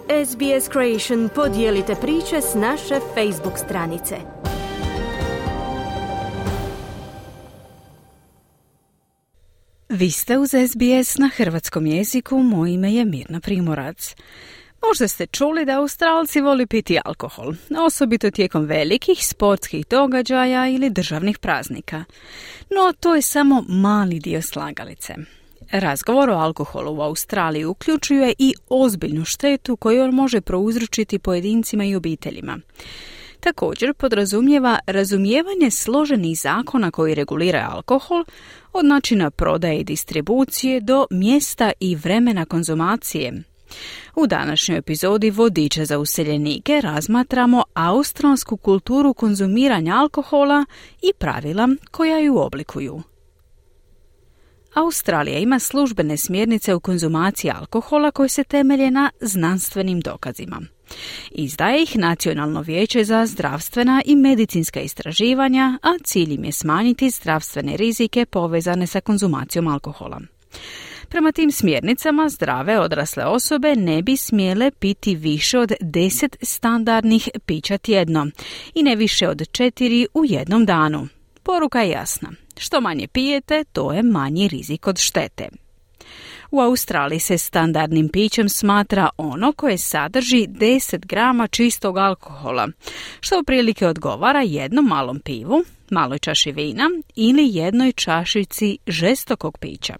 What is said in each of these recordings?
SBS Creation podijelite priče s naše Facebook stranice. Vi ste uz SBS na hrvatskom jeziku, moje ime je Mirna Primorac. Možda ste čuli da Australci voli piti alkohol, osobito tijekom velikih sportskih događaja ili državnih praznika. No to je samo mali dio slagalice. Razgovor o alkoholu u Australiji uključuje i ozbiljnu štetu koju on može prouzročiti pojedincima i obiteljima. Također podrazumijeva razumijevanje složenih zakona koji reguliraju alkohol, od načina prodaje i distribucije do mjesta i vremena konzumacije. U današnjoj epizodi Vodiča za useljenike razmatramo australsku kulturu konzumiranja alkohola i pravila koja ju oblikuju. Australija ima službene smjernice u konzumaciji alkohola koje se temelje na znanstvenim dokazima. Izdaje ih Nacionalno vijeće za zdravstvena i medicinska istraživanja, a cilj im je smanjiti zdravstvene rizike povezane sa konzumacijom alkohola. Prema tim smjernicama, zdrave odrasle osobe ne bi smjele piti više od 10 standardnih pića tjedno i ne više od 4 u jednom danu. Poruka je jasna. Što manje pijete, to je manji rizik od štete. U Australiji se standardnim pićem smatra ono koje sadrži 10 grama čistog alkohola, što otprilike odgovara jednom malom pivu, maloj čaši vina ili jednoj čašici žestokog pića.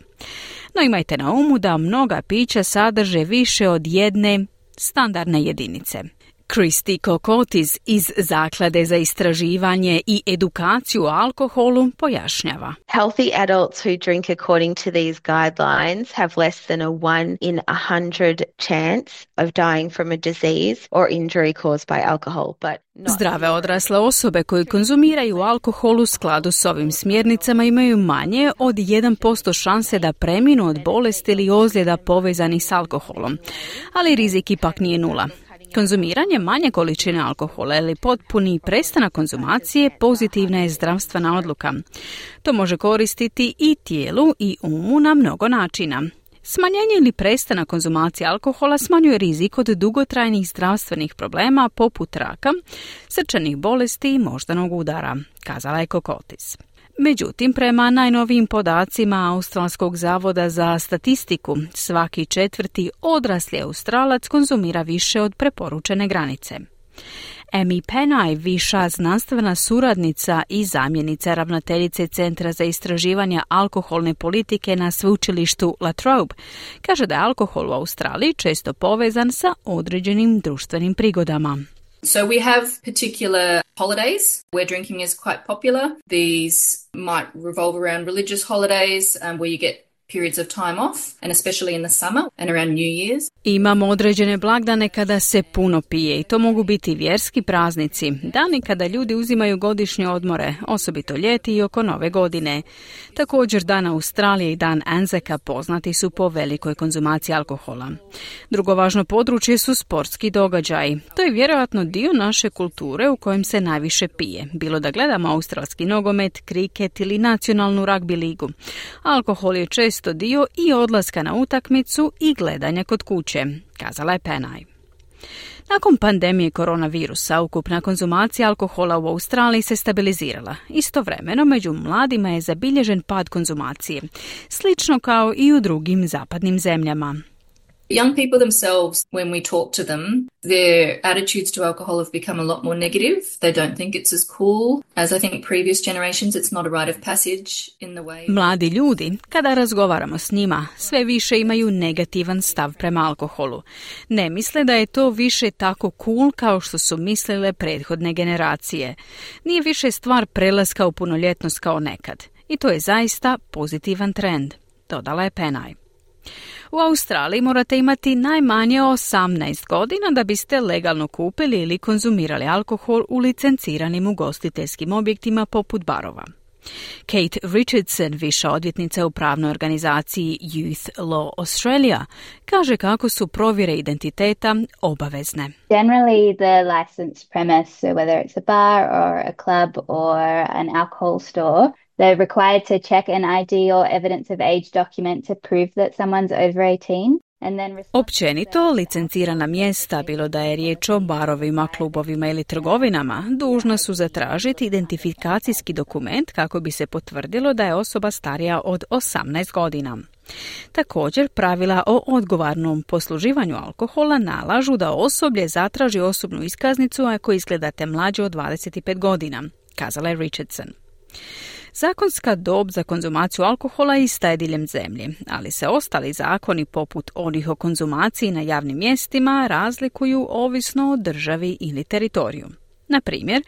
No imajte na umu da mnoga pića sadrže više od jedne standardne jedinice. Kristi Kokotis iz Zaklade za istraživanje i edukaciju o alkoholu pojašnjava. Healthy adults who drink according to these guidelines have less than a 1 in 100 chance of dying from a disease or injury caused by alcohol. Zdrave odrasle osobe koji konzumiraju alkohol u skladu s ovim smjernicama imaju manje od 1% šanse da preminu od bolesti ili ozljeda povezanih s alkoholom, ali rizik ipak nije nula. Konzumiranje manje količine alkohola ili potpuni prestanak konzumacije pozitivna je zdravstvena odluka. To može koristiti i tijelu i umu na mnogo načina. Smanjenje ili prestanak konzumacije alkohola smanjuje rizik od dugotrajnih zdravstvenih problema poput raka, srčanih bolesti i moždanog udara, kazala je Kokotis. Međutim, prema najnovijim podacima Australskog zavoda za statistiku, svaki 4. odrasli Australac konzumira više od preporučene granice. Amy Penai, viša znanstvena suradnica i zamjenica ravnateljice Centra za istraživanje alkoholne politike na sveučilištu La Trobe, kaže da je alkohol u Australiji često povezan sa određenim društvenim prigodama. So we have particular holidays where drinking is quite popular. These might revolve around religious holidays where you get periods of time off, and especially in the summer and around New Year's. Imamo određene blagdane kada se puno pije i to mogu biti vjerski praznici, dani kada ljudi uzimaju godišnje odmore, osobito ljeti i oko Nove godine. Također Dan Australije i Dan Anzaca poznati su po velikoj konzumaciji alkohola. Drugo važno područje su sportski događaji. To je vjerojatno dio naše kulture u kojem se najviše pije, bilo da gledamo australski nogomet, kriket ili nacionalnu ragbi ligu. Alkohol je često dio i odlaska na utakmicu i gledanja kod kuće, kazala je Penai. Nakon pandemije koronavirusa, ukupna konzumacija alkohola u Australiji se stabilizirala. Istovremeno, među mladima je zabilježen pad konzumacije, slično kao i u drugim zapadnim zemljama. Young people themselves, when we talk to them, their attitudes to alcohol have become a lot more negative. They don't think it's as cool as I think previous generations. It's not a rite of passage in the way. Mladi ljudi, kada razgovaramo s njima, sve više imaju negativan stav prema alkoholu. Ne misle da je to više tako cool kao što su mislile prethodne generacije. Nije više stvar prelaska u punoljetnost kao nekad. I to je zaista pozitivan trend, dodala je Penai. U Australiji morate imati najmanje 18 godina da biste legalno kupili ili konzumirali alkohol u licenciranim ugostiteljskim objektima poput barova. Kate Richardson, viša odvjetnica u pravnoj organizaciji Youth Law Australia, kaže kako su provjere identiteta obavezne. Generally, the licensed premise, so whether it's a bar or a club or an alcohol store, they're required to check an ID or evidence of age document to prove that someone's over 18. Općenito, licencirana mjesta, bilo da je riječ o barovima, klubovima ili trgovinama, dužna su zatražiti identifikacijski dokument kako bi se potvrdilo da je osoba starija od 18 godina. Također, pravila o odgovornom posluživanju alkohola nalažu da osoblje zatraži osobnu iskaznicu ako izgledate mlađe od 25 godina, kazala je Richardson. Zakonska dob za konzumaciju alkohola ista je diljem zemlje, ali se ostali zakoni poput onih o konzumaciji na javnim mjestima razlikuju ovisno o državi ili teritoriju. Na primjer,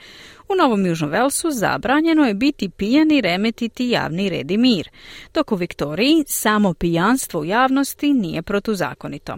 u Novom Južnom Velsu zabranjeno je biti pijan i remetiti javni red i mir, dok u Viktoriji samo pijanstvo u javnosti nije protuzakonito.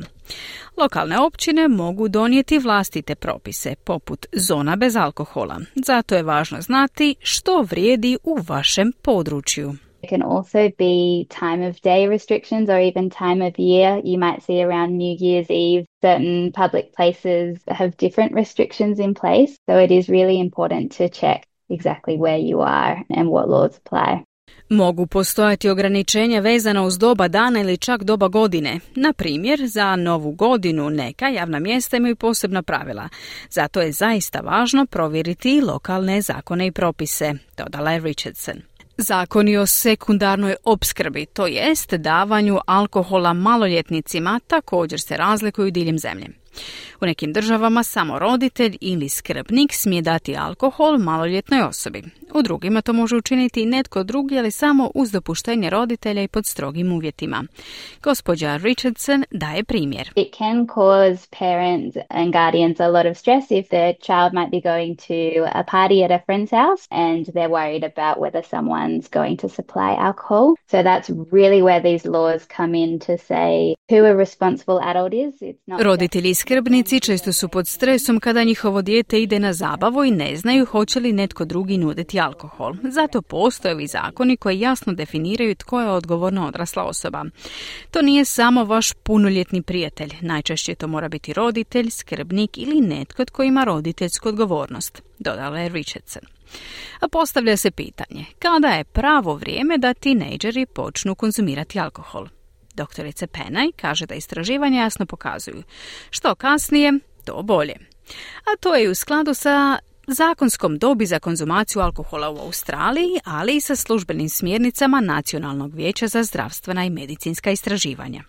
Lokalne općine mogu donijeti vlastite propise, poput zona bez alkohola. Zato je važno znati što vrijedi u vašem području. It can also be time of day restrictions or even time of year. You might see around New Year's Eve, certain public places have different restrictions in place. So it is really important to check exactly where you are and what laws apply. Mogu postojati ograničenja vezana uz doba dana ili čak doba godine. Na primjer, za Novu godinu neka javna mjesta imaju posebna pravila. Zato je zaista važno provjeriti lokalne zakone i propise, dodala je Richardson. Zakoni o sekundarnoj opskrbi, to jest davanju alkohola maloljetnicima, također se razlikuju diljem zemlje. U nekim državama samo roditelj ili skrbnik smije dati alkohol maloljetnoj osobi. U drugima to može učiniti i netko drugi, ali samo uz dopuštenje roditelja i pod strogim uvjetima. Gospođa Richardson daje primjer. It can cause parents and guardians a lot of stress if the child might be going to a party at a friend's house and they're worried about whether someone's going to supply alcohol. So that's really where these laws come in to say who a responsible adult is. It's not Roditelji i skrbnici često su pod stresom kada njihovo dijete ide na zabavu i ne znaju hoće li netko drugi nuditi alkohol. Zato postoje ovi zakoni koji jasno definiraju tko je odgovorna odrasla osoba. To nije samo vaš punoljetni prijatelj. Najčešće to mora biti roditelj, skrbnik ili netko tko ima roditeljsku odgovornost, dodala je Richardson. A postavlja se pitanje, kada je pravo vrijeme da tinejdžeri počnu konzumirati alkohol? Doktorica Penaj kaže da istraživanja jasno pokazuju što kasnije, to bolje. A to je u skladu sa zakonskom dobi za konzumaciju alkohola u Australiji, ali i sa službenim smjernicama Nacionalnog vijeća za zdravstvena i medicinska istraživanja.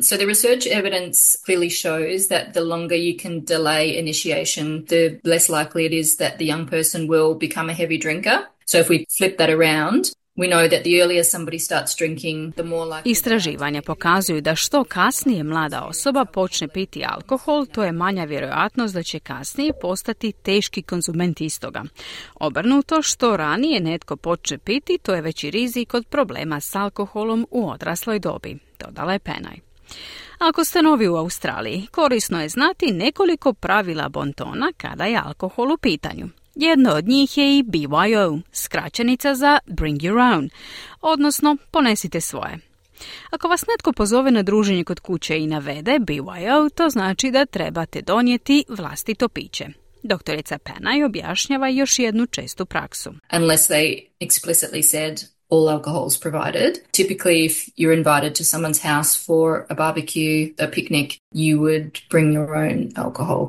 So the research evidence clearly shows that the longer you can delay initiation, the less likely it is that the young person will become a heavy drinker. So if we flip that around, we know that the earlier somebody starts drinking, the more likely... Istraživanja pokazuju da što kasnije mlada osoba počne piti alkohol, to je manja vjerojatnost da će kasnije postati teški konzument istoga. Obrnuto, što ranije netko počne piti, to je veći rizik od problema s alkoholom u odrasloj dobi, dodala je Penaj. Ako ste novi u Australiji, korisno je znati nekoliko pravila bontona kada je alkohol u pitanju. Jedno od njih je i BYO, skraćenica za Bring Your Own, odnosno ponesite svoje. Ako vas netko pozove na druženje kod kuće i navede BYO, to znači da trebate donijeti vlastito piće. Doktorica Penaj objašnjava još jednu čestu praksu. Unless they explicitly said all alcohol is provided. Typically, if you're invited to someone's house for a barbecue, a picnic, you would bring your own alcohol.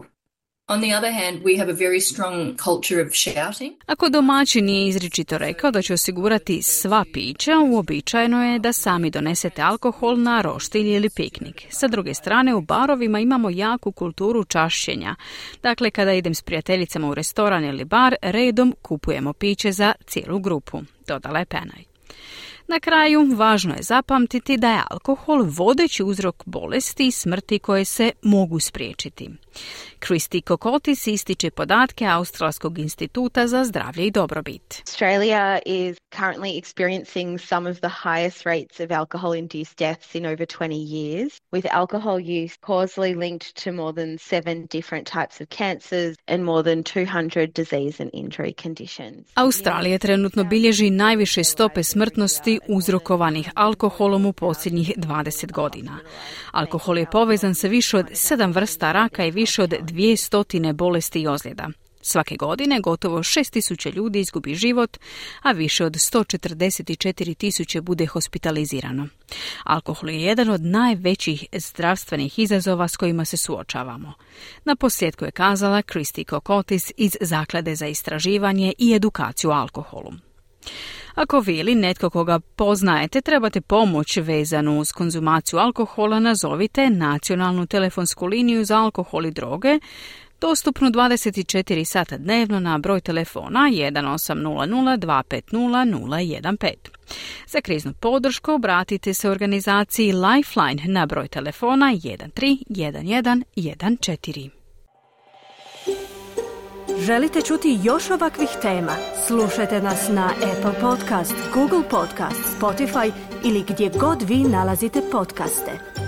On the other hand, we have a very strong culture of shouting. Ako domaćin nije izričito rekao da će osigurati sva pića, uobičajeno je da sami donesete alkohol na roštilj ili piknik. Sa druge strane, u barovima imamo jaku kulturu čašćenja. Dakle, kada idem s prijateljicama u restoran ili bar, redom kupujemo piće za cijelu grupu, dodala je Penaj. Na kraju, važno je zapamtiti da je alkohol vodeći uzrok bolesti i smrti koje se mogu spriječiti. Kristi Kokotis ističe podatke Australskog instituta za zdravlje i dobrobit. Australia is currently experiencing some of the highest rates of alcohol-induced deaths in over 20 years, with alcohol use causally linked to more than 7 different types of cancers and more than 200 disease and injury conditions. Australija trenutno bilježi najviše stope smrtnosti uzrokovanih alkoholom u posljednjih 20 godina. Alkohol je povezan sa više od 7 vrsta raka i više od 200 bolesti i ozljeda. Svake godine gotovo 6.000 ljudi izgubi život, a više od 144.000 bude hospitalizirano. Alkohol je jedan od najvećih zdravstvenih izazova s kojima se suočavamo. Na posljedku je kazala Kristi Kokotis iz Zaklade za istraživanje i edukaciju o alkoholu. Ako vi ili netko koga poznajete trebate pomoć vezanu uz konzumaciju alkohola, nazovite nacionalnu telefonsku liniju za alkohol i droge, dostupnu 24 sata dnevno na broj telefona 1800 250 015. Za kriznu podršku obratite se organizaciji Lifeline na broj telefona 131114. Želite čuti još ovakvih tema? Slušajte nas na Apple Podcast, Google Podcast, Spotify ili gdje god vi nalazite podcaste.